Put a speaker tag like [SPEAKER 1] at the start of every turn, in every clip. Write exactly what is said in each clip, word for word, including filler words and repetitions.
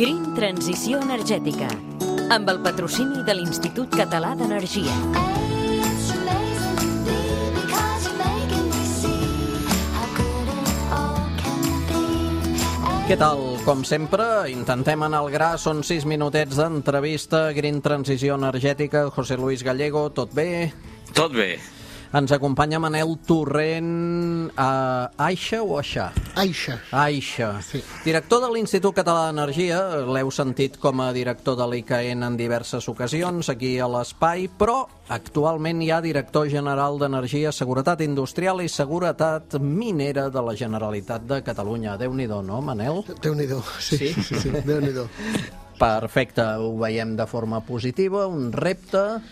[SPEAKER 1] Green Transició Energètica, amb el patrocini de l'Institut Català d'Energia.
[SPEAKER 2] Què tal? Com sempre, intentem anar al gra. Són sis minutets d'entrevista. Green Transició Energètica. José Luis Gallego, tot bé?
[SPEAKER 3] Tot bé.
[SPEAKER 2] Ens acompanya Manel Torrent, a Aixa o Aixà?
[SPEAKER 4] Aixa.
[SPEAKER 2] Aixa.
[SPEAKER 4] Sí.
[SPEAKER 2] Director de l'Institut Català d'Energia, l'heu sentit com a director de l'I C A E N en diverses ocasions aquí a l'Espai, però actualment hi ha director general d'Energia, Seguretat Industrial i Seguretat Minera de la Generalitat de Catalunya. Déu-n'hi-do, no, Manel?
[SPEAKER 4] Déu-n'hi-do, sí, sí, sí, sí. Déu-n'hi-do.
[SPEAKER 2] Perfecte, ho veiem de forma positiva, un repte,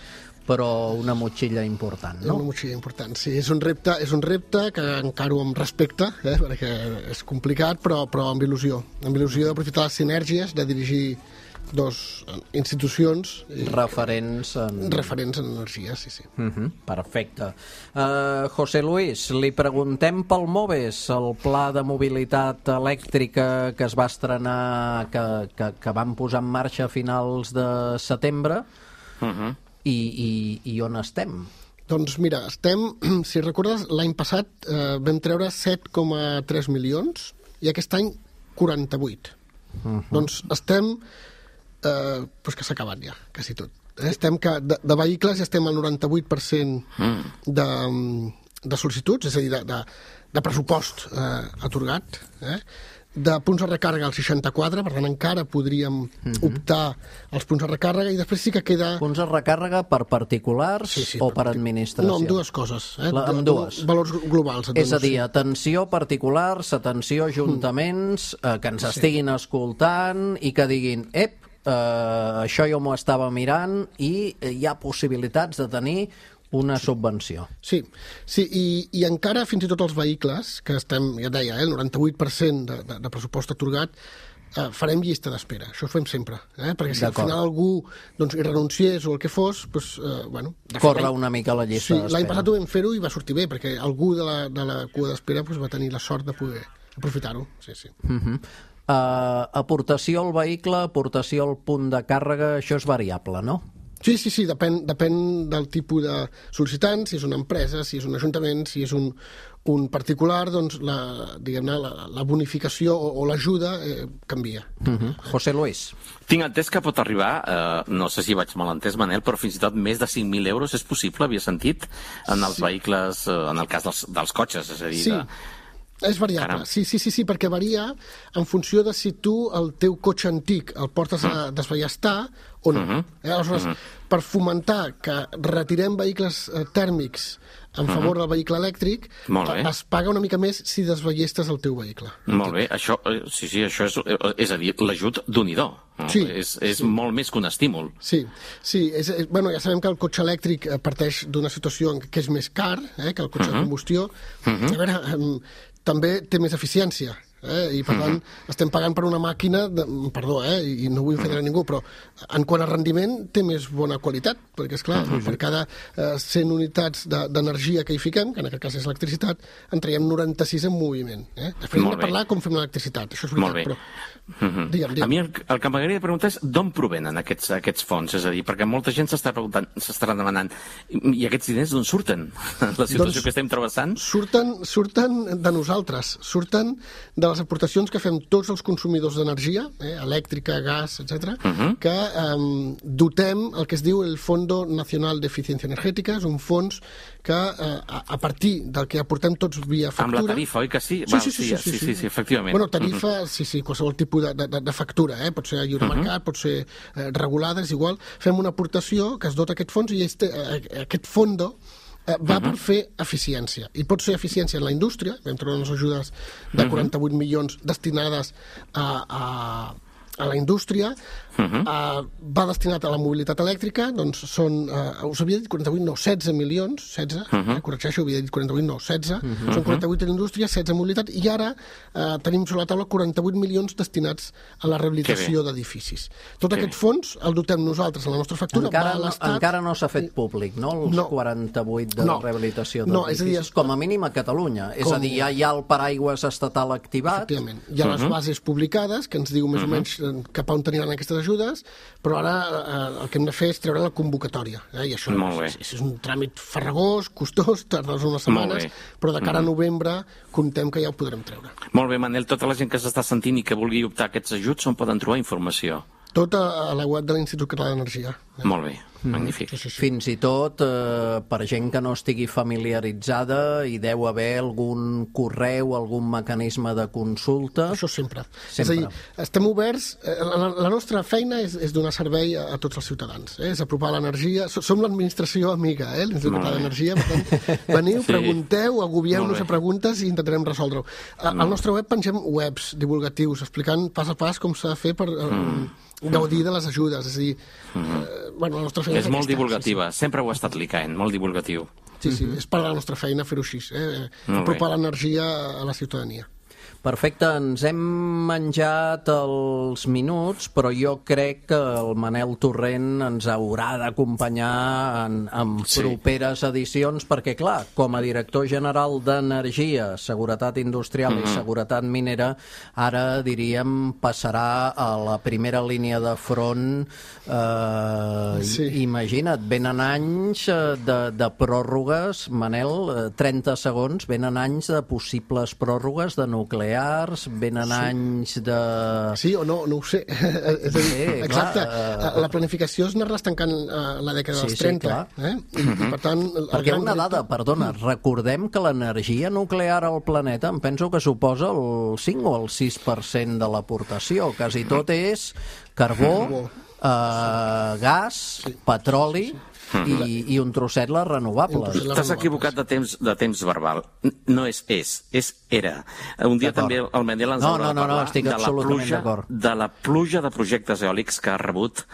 [SPEAKER 2] però una motxilla important, no?
[SPEAKER 4] Una motxilla important, sí. És un repte, és un repte que encaro amb respecte, eh, perquè és complicat, però, però amb il·lusió. Amb il·lusió d'aprofitar les sinergies, de dirigir dos institucions
[SPEAKER 2] referents en...
[SPEAKER 4] referents en energia, sí, sí.
[SPEAKER 2] Uh-huh, perfecte. Uh, José Luis, li preguntem pel MOVES, el pla de mobilitat elèctrica que es va estrenar, que, que, que van posar en marxa a finals de setembre, uh-huh. I, i, i on estem?
[SPEAKER 4] Doncs mira, estem, si recordes, l'any passat eh, vam treure set coma tres milions i aquest any quaranta-vuit. Uh-huh. Doncs estem, eh, doncs que s'ha acabat ja, quasi tot. Eh? Estem que de, de vehicles ja estem al noranta-vuit per cent de, de sol·licituds, és a dir, de, de, de pressupost eh, atorgat, eh? De punts de recàrrega al seixanta-quatre, per tant encara podríem uh-huh. optar als punts de recàrrega i després sí que queda...
[SPEAKER 2] Punts de recàrrega per particulars sí, sí, o per, per administració?
[SPEAKER 4] No, amb dues coses. Eh?
[SPEAKER 2] La, amb dues.
[SPEAKER 4] Valors globals.
[SPEAKER 2] És a dir, atenció particulars, atenció ajuntaments, eh, que ens estiguin sí. escoltant i que diguin, ep, eh, això jo m'ho estava mirant i hi ha possibilitats de tenir una subvenció.
[SPEAKER 4] Sí, sí i, i encara fins i tot els vehicles, que estem, ja et deia, eh, el noranta-vuit per cent de, de, de pressupost atorgat, eh, farem llista d'espera. Això ho fem sempre. Eh? Perquè si al final algú doncs, hi renunciés o el que fos, doncs, eh, bueno...
[SPEAKER 2] Corre una mica la llista
[SPEAKER 4] sí,
[SPEAKER 2] d'espera.
[SPEAKER 4] L'any passat ho vam fer-ho i va sortir bé, perquè algú de la, de la cua d'espera doncs, va tenir la sort de poder aprofitar-ho. Sí, sí.
[SPEAKER 2] Uh-huh. uh, aportació al vehicle, aportació al punt de càrrega, això és variable, no?
[SPEAKER 4] Sí, sí, sí, depèn, depèn del tipus de sol·licitant, si és una empresa, si és un ajuntament, si és un, un particular, doncs la, diguem-ne, la, la bonificació o, o l'ajuda eh, canvia.
[SPEAKER 2] Uh-huh. José Luis.
[SPEAKER 3] Tinc entès que pot arribar, eh, no sé si vaig mal entès, Manel, però fins i tot més de cinc mil euros és possible, havia sentit, en els sí. vehicles, eh, en el cas dels, dels cotxes, és a dir...
[SPEAKER 4] Sí.
[SPEAKER 3] De...
[SPEAKER 4] És variable, sí, sí, sí, sí, perquè varia en funció de si tu el teu cotxe antic el portes a desballestar o no. Uh-huh. Eh? Aleshores, uh-huh. per fomentar que retirem vehicles eh, tèrmics en favor uh-huh. del vehicle elèctric, es paga una mica més si desballestes el teu vehicle.
[SPEAKER 3] Molt bé, això, sí, sí, això és, és a dir, l'ajut d'un-i-do.
[SPEAKER 4] Sí,
[SPEAKER 3] és és
[SPEAKER 4] sí.
[SPEAKER 3] molt més que un estímul.
[SPEAKER 4] Sí, sí és, és, bueno, ja sabem que el cotxe elèctric parteix d'una situació en què és més car eh, que el cotxe uh-huh. de combustió. Uh-huh. A veure, eh, també té més eficiència, eh? I per tant uh-huh. estem pagant per una màquina, de, perdó, eh? I no vull ofendre a ningú, però en quant a rendiment té més bona qualitat, perquè esclar, uh-huh. per cada eh, cent unitats d'energia que hi fiquem, que en aquest cas és electricitat, en traiem noranta-sis en moviment. Eh? Després hem de parlar com fem l'electricitat, això és veritat,
[SPEAKER 3] Molt bé.
[SPEAKER 4] però...
[SPEAKER 3] Uh-huh.
[SPEAKER 4] Digue'm, digue'm.
[SPEAKER 3] A mi el, el que m'agradaria preguntar és d'on provenen aquests, aquests fons, és a dir, perquè molta gent s'està preguntant, s'estarà demanant, i aquests diners d'on surten? La situació doncs, que estem travessant?
[SPEAKER 4] Surten, surten de nosaltres, surten de les aportacions que fem tots els consumidors d'energia, eh, elèctrica, gas, etcètera, uh-huh. que eh, dotem el que es diu el Fondo Nacional d'Eficiència Energètica, és un fons que eh, a, a partir del que aportem tots via factura...
[SPEAKER 3] Amb la tarifa, oi que sí?
[SPEAKER 4] Sí,
[SPEAKER 3] Val,
[SPEAKER 4] sí, sí, sí, sí, sí, sí,
[SPEAKER 3] sí, efectivament.
[SPEAKER 4] Bueno, tarifa, uh-huh. sí, sí, qualsevol tipus de, de, de factura, eh? Pot ser a lliure uh-huh. mercat, pot ser eh, regulada, és igual. Fem una aportació que es dota aquest fons i este, eh, aquest fondo eh, va uh-huh. per fer eficiència. I pot ser eficiència en la indústria, vam trobar unes ajudes de quaranta-vuit uh-huh. milions destinades a... a a la indústria, uh-huh. uh, va destinat a la mobilitat elèctrica, doncs són, uh, us havia dit quaranta-vuit, no, setze milions, setze, uh-huh. eh, corregeixo, havia dit quaranta-vuit, no, setze, uh-huh. són quaranta-vuit a la indústria, setze a mobilitat, i ara uh, tenim sobre la taula quaranta-vuit milions destinats a la rehabilitació d'edificis. Tot que aquest bé. fons el dotem nosaltres a la nostra factura,
[SPEAKER 2] encara
[SPEAKER 4] va a l'Estat...
[SPEAKER 2] No, encara no s'ha fet públic, no?, els
[SPEAKER 4] no.
[SPEAKER 2] quaranta-vuit de
[SPEAKER 4] no.
[SPEAKER 2] rehabilitació
[SPEAKER 4] no,
[SPEAKER 2] d'edificis,
[SPEAKER 4] és a dir,
[SPEAKER 2] com a mínim a Catalunya. Com... És a dir, ja hi ha el paraigües estatal activat.
[SPEAKER 4] Efectivament. Hi ha uh-huh. les bases publicades, que ens diu més uh-huh. o menys cap a on teniran aquestes ajudes, però ara eh, el que hem de fer és treure la convocatòria. Eh? I això és, és un tràmit farragós, costós, tardes unes setmanes, però de cara a novembre comptem que ja ho podrem treure.
[SPEAKER 3] Molt bé, Manel, tota la gent que s'està sentint i que vulgui optar a aquests ajuts, on poden trobar informació?
[SPEAKER 4] Tot a la web de l'Institut Català d'Energia.
[SPEAKER 3] Eh? Molt bé, magnífic.
[SPEAKER 2] Sí, sí, sí. Fins i tot, eh, per gent que no estigui familiaritzada, hi deu haver algun correu, algun mecanisme de consulta?
[SPEAKER 4] Això sempre.
[SPEAKER 2] sempre.
[SPEAKER 4] És a dir, estem oberts, eh, la, la nostra feina és, és donar servei a, a tots els ciutadans, eh? És apropar l'energia, som l'administració amiga, eh? l'Institut Català d'Energia, per tant, veniu, sí. pregunteu, agobieu-nos a preguntes i intentarem resoldre-ho. Al nostre web pengem webs divulgatius, explicant pas a pas com s'ha de fer per... Eh, mm. gaudir de les ajudes, és a dir, mm-hmm. eh, bueno, la nostra feina
[SPEAKER 3] és, és molt aquesta, divulgativa, sí, sí. Sempre ho ha estat l'I C A E N, molt divulgatiu.
[SPEAKER 4] Sí, sí, mm-hmm. és part de la nostra feina fer-ho així, eh? apropar l'energia a la ciutadania.
[SPEAKER 2] Perfecte, ens hem menjat els minuts, però jo crec que el Manel Torrent ens haurà d'acompanyar en, en sí. properes edicions, perquè, clar, com a director general d'Energia, Seguretat Industrial mm-hmm. i Seguretat Minera, ara, diríem, passarà a la primera línia de front. Eh, sí. Imagina't, venen anys de, de pròrrogues, Manel, trenta segons, venen anys de possibles pròrrogues de nuclear, venen sí. anys de...
[SPEAKER 4] Sí o no, no ho sé. És a dir, sí, exacte. Clar, uh... la planificació es anar-les tancant uh, la dècada
[SPEAKER 2] sí,
[SPEAKER 4] dels trenta.
[SPEAKER 2] Sí,
[SPEAKER 4] eh? I, uh-huh. i per tant...
[SPEAKER 2] Perquè una dada, perdona, recordem que l'energia nuclear al planeta em penso que suposa el cinc o el sis per cent de l'aportació. Quasi tot és carbó, uh, gas, sí. petroli... Sí. I, i un trosset les renovables.
[SPEAKER 3] T'has equivocat de temps, de temps verbal. No és és, és era. Un dia també el Manel ens
[SPEAKER 2] no,
[SPEAKER 3] haurà
[SPEAKER 2] no, no,
[SPEAKER 3] de parlar
[SPEAKER 2] no, estic
[SPEAKER 3] de, la pluja, de la pluja de projectes eòlics que ha rebut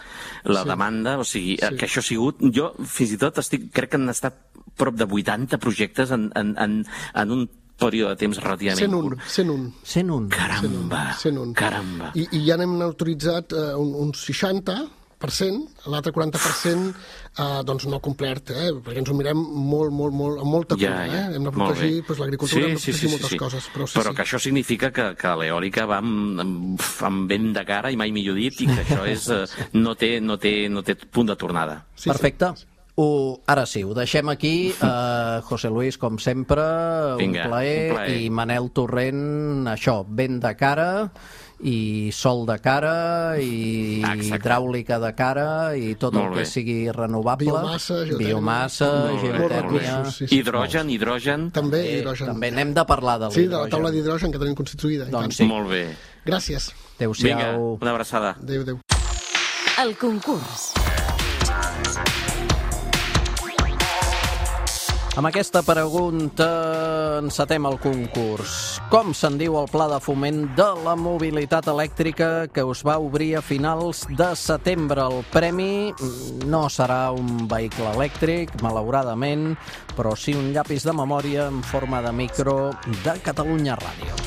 [SPEAKER 3] la sí. demanda, o sigui, sí. que això ha sigut... Jo, fins i tot, estic, crec que han estat prop de vuitanta projectes en, en, en, en un període de temps relativament curt.
[SPEAKER 4] cent un.
[SPEAKER 2] cent un.
[SPEAKER 3] Caramba,
[SPEAKER 4] cent un.
[SPEAKER 3] caramba.
[SPEAKER 4] I, i ja n'hem autoritzat uh, un, uns seixanta per cent, l'altre quaranta per cent eh, doncs no complert, eh? perquè ens ho mirem molt, molt, molt, amb molta cura. Ja, ja. Eh? Hem de protegir pues, l'agricultura, sí, hem de protegir sí, sí, moltes sí, sí. coses. Però, sí,
[SPEAKER 3] però
[SPEAKER 4] sí.
[SPEAKER 3] que això significa que, que l'eòlica va amb, amb, amb vent de cara, i mai millor dit, i que això és, eh, no, té, no, té, no té punt de tornada.
[SPEAKER 2] Sí, Perfecte. Sí. Ho, ara sí, ho deixem aquí. Uh, José Luis, com sempre,
[SPEAKER 3] Vinga,
[SPEAKER 2] un, plaer, un plaer. I Manel Torrent, això, vent de cara, i sol de cara, i Exacte. hidràulica de cara, i tot molt el que bé. sigui renovable.
[SPEAKER 4] Biomassa, geotèrmia.
[SPEAKER 2] Biomassa, geotèrmia.
[SPEAKER 4] Sí, sí.
[SPEAKER 3] Hidrogen, hidrogen.
[SPEAKER 4] També
[SPEAKER 2] eh,
[SPEAKER 4] hidrogen.
[SPEAKER 2] També n'hem de parlar de l'hidrogen.
[SPEAKER 4] Sí, de la taula d'hidrogen que tenim constituïda.
[SPEAKER 2] Doncs sí.
[SPEAKER 3] Molt bé.
[SPEAKER 4] Gràcies.
[SPEAKER 2] Adéu-siau.
[SPEAKER 3] Vinga, una abraçada.
[SPEAKER 4] Adéu, adéu.
[SPEAKER 1] El concurs.
[SPEAKER 2] Amb aquesta pregunta encetem el concurs. Com se'n diu el Pla de Foment de la Mobilitat Elèctrica que us va obrir a finals de setembre? El premi no serà un vehicle elèctric, malauradament, però sí un llapis de memòria en forma de micro de Catalunya Ràdio.